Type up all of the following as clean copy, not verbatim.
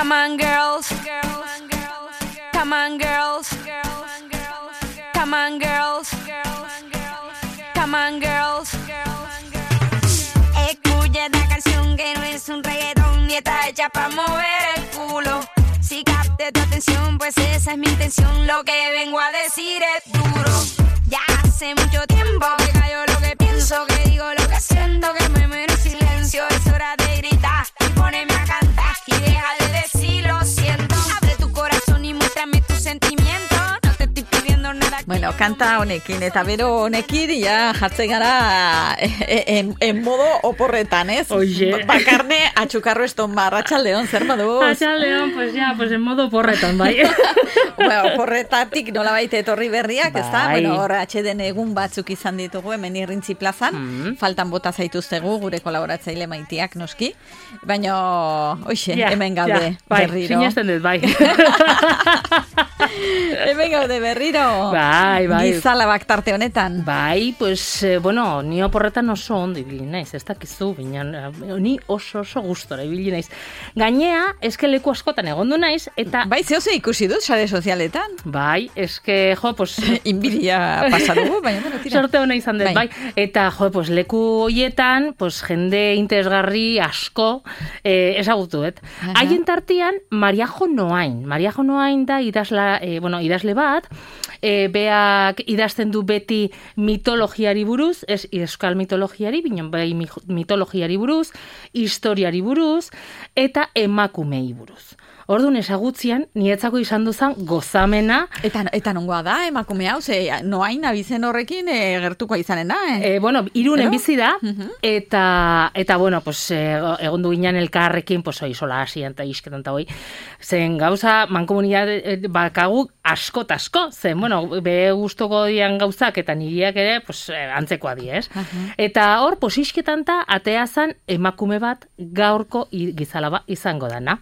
Come on, girls. Come on, girls. Come on, girls. Come on, girls. Escucha esta canción que no es un reggaetón ni está hecha para mover el culo. Si capte tu atención, pues esa es mi intención. Lo que vengo a decir es duro. Ya hace mucho tiempo que callo lo que pienso, que digo lo que siento, que me muero en silencio. Es hora de gritar y ponerme a cantar y deja de decir lo siento. Abre tu corazón y muéstrame tus sentimientos. No te estoy pidiendo nada. Bueno, kanta honekin eta bero honekin ja jartzen gara en modo oporretan, ez? Oye. Bakarne atxukarro eston Arratsaldeon, zer moduz? Arratsaldeon, pues ya, pues en modo oporretan, bai. Bueno, oporretatik nolabait etorri berriak, ez da? Bai. Bueno, hor atxeden egun batzuk izan ditugu hemen Irrintzi plazan, faltan bota zaituztegu gure kolaboratzaile maitiak noski, baina hoxe, hemen gaude bai, berriro. sinesten dut, bai. Hemen gaude berriro. Bai. Gizalabak tarte honetan. Bai, pues, bueno, ni oporretan oso ondo ibili naiz, ez dakizu, baina ni oso gustora ibili naiz. Gainea, eske leku askotan egondu naiz, eta... Bai, zehose ikusi dut, sare sozialetan. Bai, eske, jo, pues... Inbidia pasadugu, baina, bueno, tira. Sorte hona izan dut, bai. Eta, jo, pues, leku hoietan, pues, jende interesgarri asko ezagutu, haien tartean, Mariajo Noain da idazle bat, beak idazten du beti mitologiari buruz, ez euskal mitologiari, binen bai mitologiari buruz, historiari buruz, eta emakumei buruz. Orduan ezagutzian, nietzako izan duzan gozamena. Eta nongoa da, emakume hau, ze Noain abizen horrekin gertuko izanen da, Bueno, Irunen bizi da, eta bueno, pues, egon du ginen elkarrekin, pues, sola hasian eta isketan eta hoi, zen gauza, mankomunidad bakagu asko, zen, bueno, be gustoko dian gauzak, eta niriak ere, pues, antzekoa di, ez? Eta hor, pues, isketan eta atea zan emakume bat gaurko gizalaba izango dana.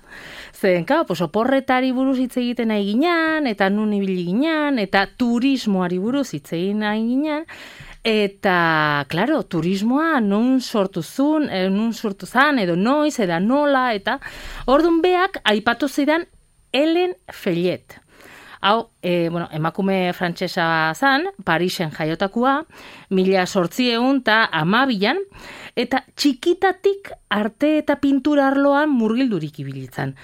Zen, pues, oporretari buruz hitz egiten nahi ginen, eta nun ibili ginen, eta turismoari buruz hitz egin nahi ginen, eta, klaro, turismoa nun sortu zan, edo noiz, edo nola, eta orduan beak aipatu zidan Helen Fellet. Hau, emakume frantsesa zan, Parisen jaiotakua, 1812 eta txikitatik arte eta pintura arloan murgildurik ibilitzan.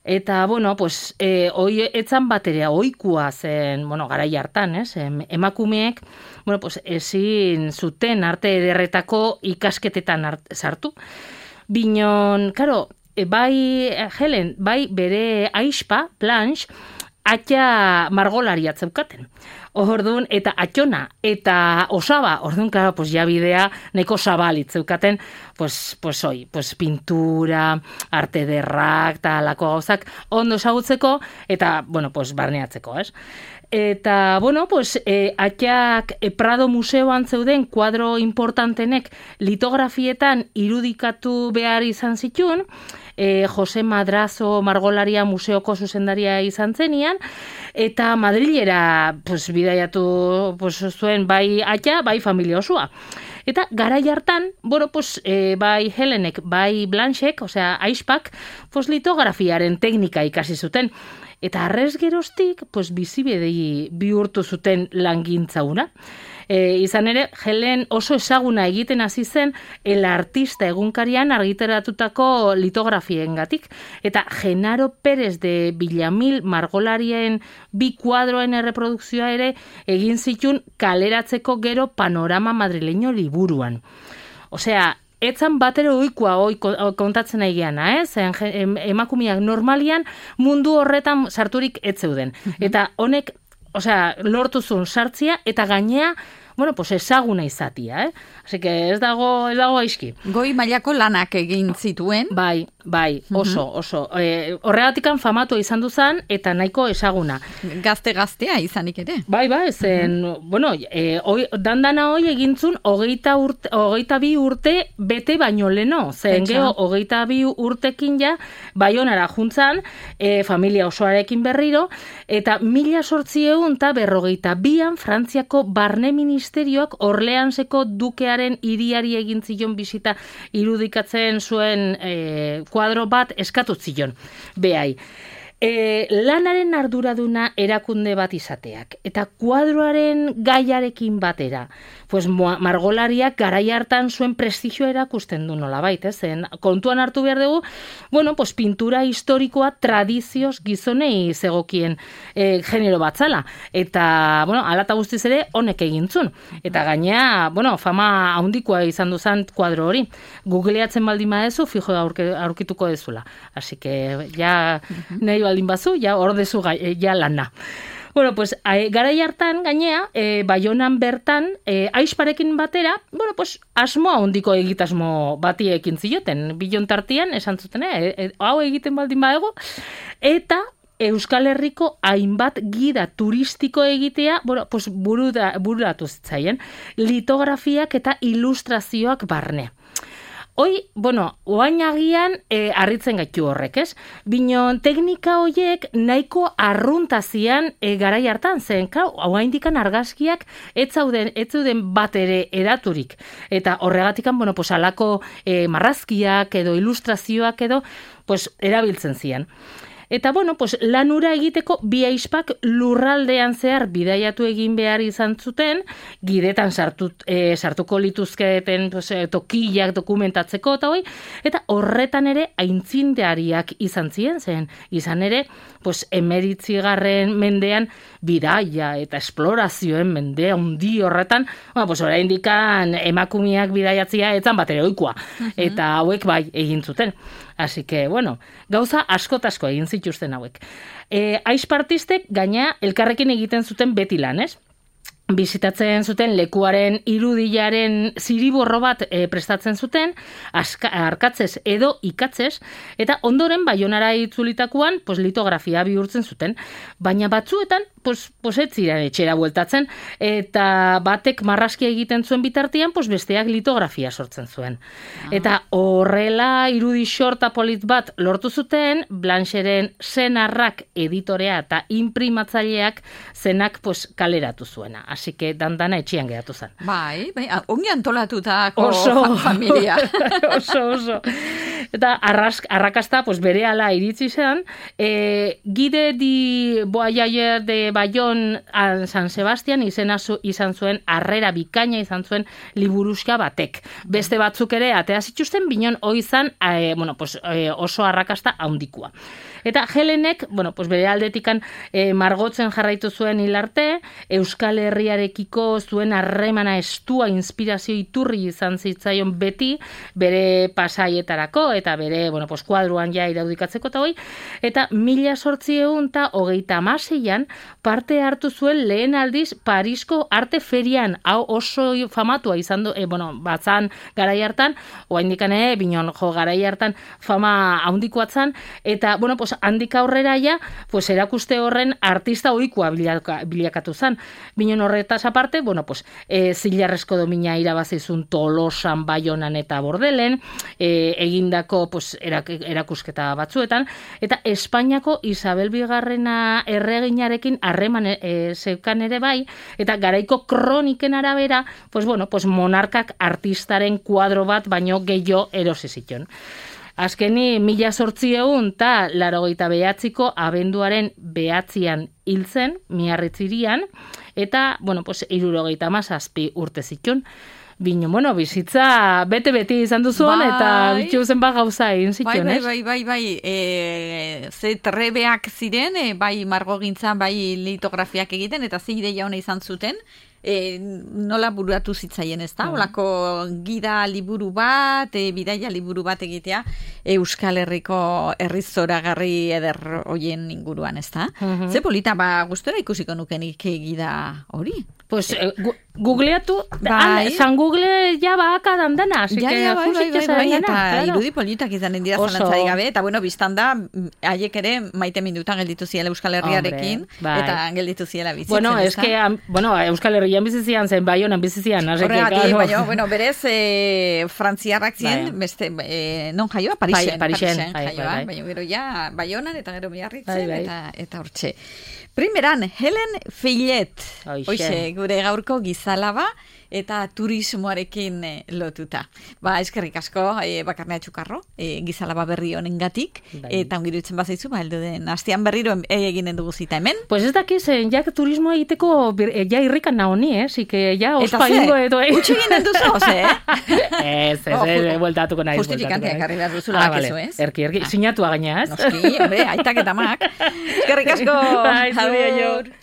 Eta, bueno, pues, etzan baterea ohikoa zen, bueno, garai hartan, emakumeek, bueno, pues, ezin zuten arte ederretako ikasketetan sartu. Binon, karo, bai Helen, bai bere aispa, Blanche, atxa margolaria zeukaten. Orduan, eta atxona, eta osaba, orduan, claro, pues ya bidea neko zabalitz zeukaten, pues pintura, arte derrak, eta lako gauzak, ondo ezagutzeko, eta, bueno, pues barneatzeko, ez? Eta, bueno, pues, atxak Prado Museoan zeuden kuadro importantenek litografietan irudikatu behar izan zituen, Jose Madrazo margolaria museoko zuzendaria izan zenian, eta Madrilera pues, bidaiatu pues, zuen bai atxa, bai familia osua. Eta garai hartan, bueno, pues, bai Helenek, bai Blanchek, osea, aispak, pues, litografiaren teknika ikasi zuten. Eta arrez geroztik, pues, bizibidei bihurtu zuten langintzauna. Izan ere, Helen oso ezaguna egiten hasi zen El Artista egunkarian argitaratutako litografiengatik. Eta Genaro Pérez de Villamil margolarien bi kuadroen erreprodukzioa ere egin zituen kaleratzeko gero Panorama Madrileño liburuan. Osea, etzan batero ohikoa kontatzen nahi geana, emakumeak normalian mundu horretan sarturik ez zeuden. Eta honek, osea, lortu zuen sartzia eta gainea, bueno, pues ezaguna izatia, Así que ez dago aizki. Goi mailako lanak egin zituen. Bai, oso. Horregatikan famatu izan duzan eta nahiko ezaguna. Gaztea izanik ere. Bai, zen, bueno, dandana hoi egintzun 22 urte bete baino leno. Zen geho 22 urtekin ja, Baionara juntzan, familia osoarekin berriro, eta 1852an Frantziako barne ministeritzan ministerioak Orleanseko dukearen hiriari egin zion bisita irudikatzen zuen kuadro bat eskatu zion. Behai. Lanaren arduraduna erakunde bat izateak eta kuadroaren gaiarekin batera, pues margolariak garai hartan zuen prestigioa erakusten du nolabait, zen kontuan hartu behar dugu, bueno, pues pintura historikoa tradizioz gizonei zegokien genero batzala, eta, bueno, alata guztiz ere honek egintzun, eta gainea, bueno, fama handikoa izan duzan kuadro hori, googleatzen baldin badezu, fijo aurkituko dezula, así que, ja, nahi baldin bazu, ja ordezu ja lana. Bueno, pues, garai hartan, gainea, Baionan bertan, aizparekin batera, bueno, pues, asmoa handiko egitasmo bati ekin zioten, bilon tartian, esan zuten, hau egiten baldin badego, eta Euskal Herriko hainbat gida turistiko egitea, bueno, pues, bururatu zitzaien, litografiak eta ilustrazioak barne. Hoi, bueno, oain agian harritzen gaitu horrek, ez? Binon, teknika horiek nahiko arruntazian garai hartan zen, kau, oaindikan argazkiak ez zeuden bat ere eraturik. Eta horregatikan, bueno, pues, alako marrazkiak edo ilustrazioak edo, pues, erabiltzen zian. Eta, bueno, pues, lanura egiteko bi aizpak lurraldean zehar bidaiatu egin behar izan zuten, gidetan sartuko lituzketen pues, tokiak dokumentatzeko eta hoi, eta horretan ere aintzindariak izan ziren zen. Izan ere, pues, 19. mendean bidaia eta esplorazioen mendea hundi horretan, bueno, pues, oraindikan emakumeak bidaiatzia etzan batere ohikoa. Eta hauek bai egin zuten. Así que, bueno, gauza askotasko egin zituzten hauek. Aizpartistek gaina elkarrekin egiten zuten beti lan, ez? Bizitatzen zuten lekuaren irudilaren ziriborro bat prestatzen zuten, arkatzez edo ikatzez, eta ondoren Baionara itzulitakoan pues, litografia bihurtzen zuten. Baina batzuetan, pues ez ziren etxera bueltatzen, eta batek marrazkia egiten zuen bitartean, pues besteak litografia sortzen zuen. Eta horrela irudi xorta polit bat lortu zuten, Blancheren Senarrak editorea eta imprimatzaileak zenak pues, kaleratu zuena. Así que dandana etxian geratu zen. Bai, ongi antolatutako familia. Oso. Eta arrakasta pues, berehala iritsi zen, Guide di Voyager de Bayon a San Sebastian izan zuen, harrera bikaina izan zuen liburuska batek. Beste batzuk ere atea zituzten, binon hoi izan bueno, pues, oso arrakasta handikoa. Eta Helenek, bueno, pues bere aldetikan margotzen jarraitu zuen hilarte, Euskal Herriarekiko zuen harremana estua inspirazio iturri izan zitzaion beti, bere pasaietarako, eta bere, bueno, pues kuadruan ja iraudikatzeko eta hoi, eta 1836an parte hartu zuen lehen aldiz Parisko arte ferian, hau oso famatua izan du, bueno, batzan garai hartan, oaindikan binon jo garai hartan fama handikoatzan, eta, bueno, pues handik aurrera ja, pues erakuste horren artista ohikoa bilakatu zen. Binon horretaz aparte, bueno, pues zilarrezko domina irabazizun Tolosan, Baionan eta Bordelen, egindako pues, erakusketa batzuetan, eta Espainiako Isabel Bigarrena erreginarekin harreman zeukan ere bai, eta garaiko kroniken arabera, pues, bueno, pues monarkak artistaren kuadro bat baino gehiago erosi ziton. Azkeni 1889ko abenduaren 9 hil zen, Miarritzirian, eta, bueno, pues, 77 urte zitun. Bino, bueno, bizitza bete-beti izan duzuan, eta bituzen gauza egin zitun, ez? Bai, ze trebeak ziren, bai margogintzan, bai litografiak egiten, eta ze ideia hona izan zuten, nola buruatu zitzaien, ez da? Olako gida liburu bat, bidaia liburu bat egitea, Euskal Herriko herrizoragarri eder hoien inguruan, ez da? Ze polita, gustora ikusiko nukenik gida hori? Pues googleatu, San Google ja baka dandana, así que bai, eta irudi politak izanen dira zalantzarik gabe, eta bueno, biztan da, haiek ere maite minutan gelditu ziela Euskal Herriarekin, eta gelditu ziela bizitzen. Bueno, es que, Euskal Herrian bizizian zen, Baionan bizizian, horregatik, baina, berez, frantziarrak ziren, beste, non jaioa? Parixen jaioa, baina gero ja, Baionan eta gero Miarritzen, eta hortxe. Primeran, Helen Fillet, gure gaurko giza Gizalaba eta turismoarekin lotuta. Eskerrik asko, Bakarnea Txukarro, Gizalaba berri honengatik, eta ongirutzen bazaizu, heldu den astean berriro eginen dugu zita hemen. Pues ez dakiz, ja turismoa egiteko ja irrikan naoni, que ja ospa ingo edo. Utsi ginen duzu, Ez, bueltatuko nahi. Justifikanteak harri behar duzula bakizu, ez? Erki, sinatua gaina, ez? Noski, aitak eta mak. Eskerrik asko. Aio.